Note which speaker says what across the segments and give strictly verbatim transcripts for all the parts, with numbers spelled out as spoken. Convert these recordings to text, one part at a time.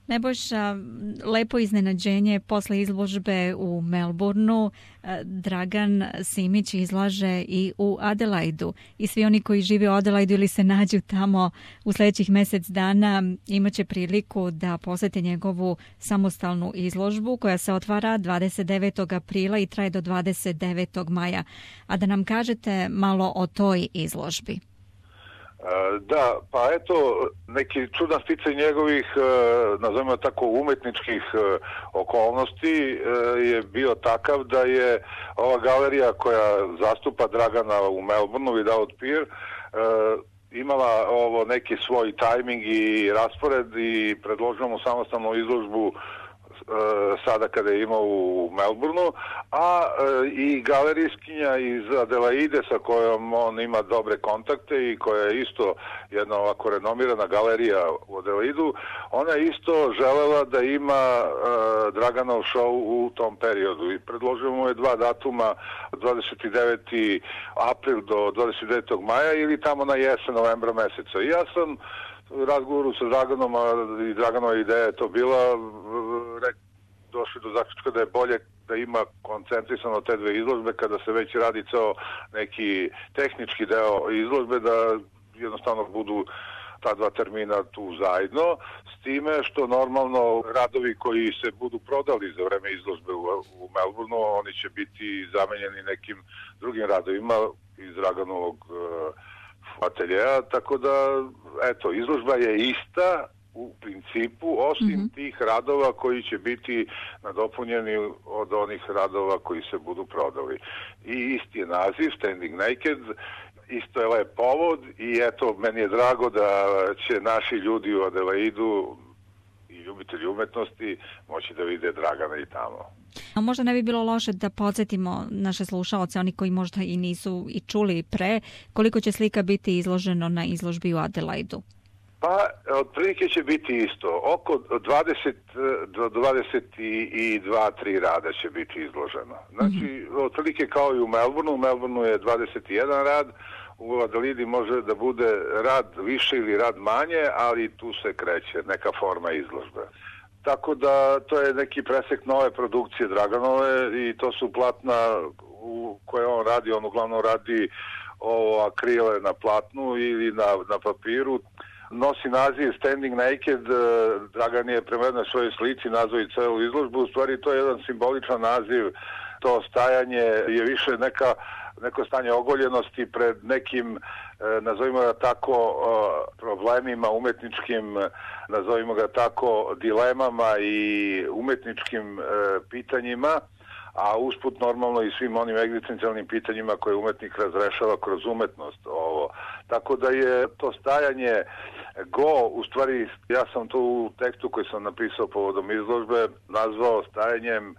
Speaker 1: Nebojša, lepo iznenađenje posle izložbe u Melbourneu. Dragan Simić izlaže i u Adelaidu i svi oni koji žive u Adelaidu ili se nađu tamo u sljedećih mjesec dana imaće priliku da posete njegovu samostalnu izložbu koja se otvara dvadeset devetog aprila i traje do dvadeset devetog maja. A da nam kažete malo o toj izložbi.
Speaker 2: Da, pa eto, neki čudan sticaj njegovih, nazovimo tako, umetničkih okolnosti je bio takav da je ova galerija koja zastupa Dragana u Melbourneu, Without Peer, imala ovo neki svoj tajming i raspored i predložila mu samostalnu izložbu sada kada je imao u Melbourneu, a i galerijskinja iz Adelaide sa kojom on ima dobre kontakte i koja je isto jedna ovako renomirana galerija u Adelaidu, ona je isto želela da ima Draganov show u tom periodu i predložio mu je dva datuma, dvadeset deveti april do dvadeset devetog maja ili tamo na jesen novembra meseca. I ja sam u razgovoru sa Draganom, i Draganova ideja je to bila, došli do zaključka da je bolje da ima koncentrisano te dve izložbe kada se već radi ceo neki tehnički deo izložbe, da jednostavno budu ta dva termina tu zajedno, s time što normalno radovi koji se budu prodali za vreme izložbe u, u Melbourneu, oni će biti zamenjeni nekim drugim radovima iz Draganovog uh, ateljeja, tako da, eto, izložba je ista u principu, osim mm-hmm. tih radova koji će biti nadopunjeni od onih radova koji se budu prodali. I isti je naziv, Standing Naked, isto je lep povod i eto, meni je drago da će naši ljudi u Adelaidu i ljubitelji umetnosti moći da vide Dragana i tamo.
Speaker 1: A možda ne bi bilo loše da podsjetimo naše slušaoce, oni koji možda i nisu i čuli pre, koliko će slika biti izloženo na izložbi u Adelaidu?
Speaker 2: Pa, otprilike će biti isto. Oko dvadeset do dvadeset dva tri rada će biti izloženo. Znači, mm-hmm. otprilike kao i u Melbourneu. U Melbourneu je dvadeset jedan rad, u Adelaidi može da bude rad više ili rad manje, ali tu se kreće neka forma izložbe. Tako da to je neki presek nove produkcije Draganove i to su platna u koje on radi. On uglavnom radi ovo akrile na platnu ili na, na papiru. Nosi naziv Standing Naked, Dragan je prema jednoj svojoj slici nazvao i celu izložbu, u stvari to je jedan simboličan naziv, to stajanje je više neka, neko stanje ogoljenosti pred nekim, nazovimo ga tako, problemima umetničkim, nazovimo ga tako, dilemama i umetničkim pitanjima, a usput normalno i svim onim egzistencijalnim pitanjima koje umetnik razrešava kroz umetnost. Ovo. Tako da je to stajanje go, u stvari ja sam to u tekstu koji sam napisao povodom izložbe nazvao stajanjem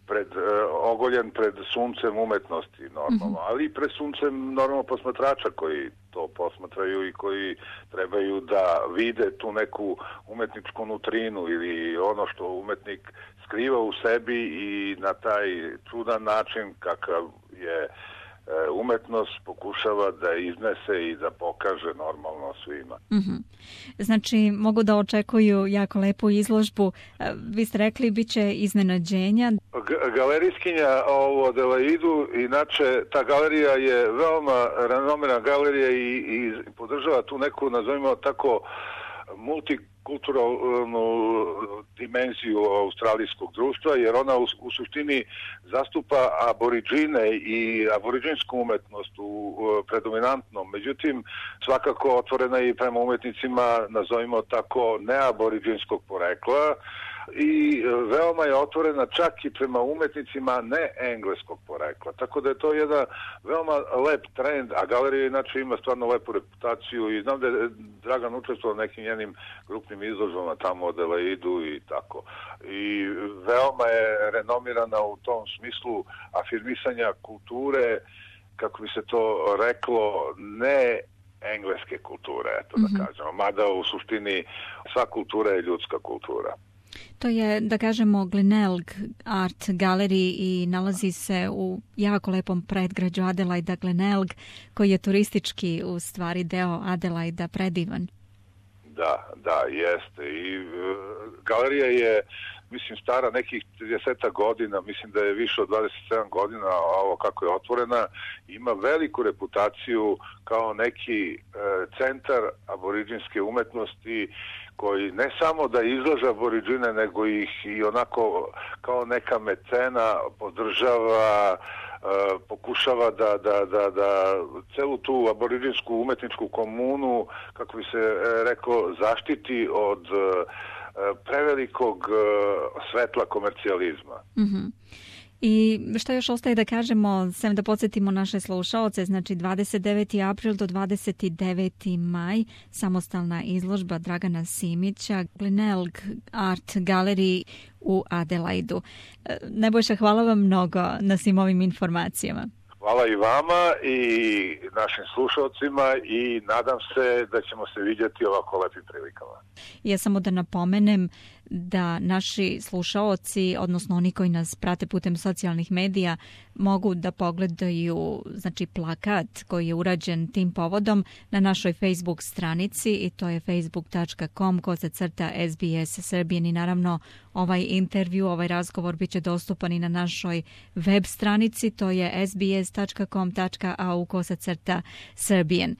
Speaker 2: pred, e, ogoljen pred suncem umetnosti normalno, mm-hmm. ali i pred suncem normalno posmatrača koji to posmatraju i koji trebaju da vide tu neku umetničku nutrinu ili ono što umetnik skriva u sebi i na taj čudan način kakav je umetnost pokušava da iznese i da pokaže normalno svima.
Speaker 1: Mm-hmm. Znači, mogu da očekuju jako lepu izložbu. Vi ste rekli, bit će iznenađenja.
Speaker 2: G- galerijskinja u Adelaidu, inače, ta galerija je veoma renomirana galerija i, i podržava tu neku, nazovimo tako, multikulturalnu dimenziju australijskog društva, jer ona u, u suštini zastupa aboriđine i aboriđinsku umetnost u, u predominantnom. Međutim, svakako otvorena i prema umetnicima, nazovimo tako, neaboriđinskog porekla i veoma je otvorena čak i prema umetnicima ne engleskog porekla. Tako da je to jedan veoma lep trend, a galerija inače ima stvarno lepu reputaciju i znam da je Dragan učestvovao nekim njenim grupnim izložbama tamo u Adelaidu i tako. I veoma je renomirana u tom smislu afirmisanja kulture, kako bi se to reklo, ne engleske kulture, eto mm-hmm. da kažemo. Mada u suštini sva kultura je ljudska kultura.
Speaker 1: To je, da kažemo, Glenelg Art Gallery i nalazi se u jako lepom predgrađu Adelaida, Glenelg, koji je turistički u stvari deo Adelaida, predivan.
Speaker 2: Da, da, jeste. I galerija je, mislim, stara nekih trideset godina, mislim da je više od dvadeset sedam godina, ovo kako je otvorena, ima veliku reputaciju kao neki e, centar aboriđinske umetnosti, koji ne samo da izlaže aboriđine, nego ih i onako kao neka mecena podržava, e, pokušava da, da, da, da celu tu aboriđinsku umetničku komunu, kako bi se e, rekao, zaštiti od e, prevelikog e, svetla komercijalizma.
Speaker 1: Mm-hmm. I što još ostaje da kažemo, sem da podsjetimo naše slušaoce, znači dvadeset deveti april do dvadeset deveti maj, samostalna izložba Dragana Simića, Glenelg Art Gallery u Adelaidu. Nebojša, hvala vam mnogo na svim ovim informacijama.
Speaker 2: Hvala i vama i našim slušalcima i nadam se da ćemo se vidjeti ovako lepim prilikama.
Speaker 1: Ja samo da napomenem da naši slušaoci, odnosno oni koji nas prate putem socijalnih medija, mogu da pogledaju znači plakat koji je urađen tim povodom na našoj Facebook stranici i to je facebook dot com kosa crta S B S Serbian i naravno ovaj intervju, ovaj razgovor bit će dostupan i na našoj web stranici, to je s b s dot com dot a u kosa crta Serbian.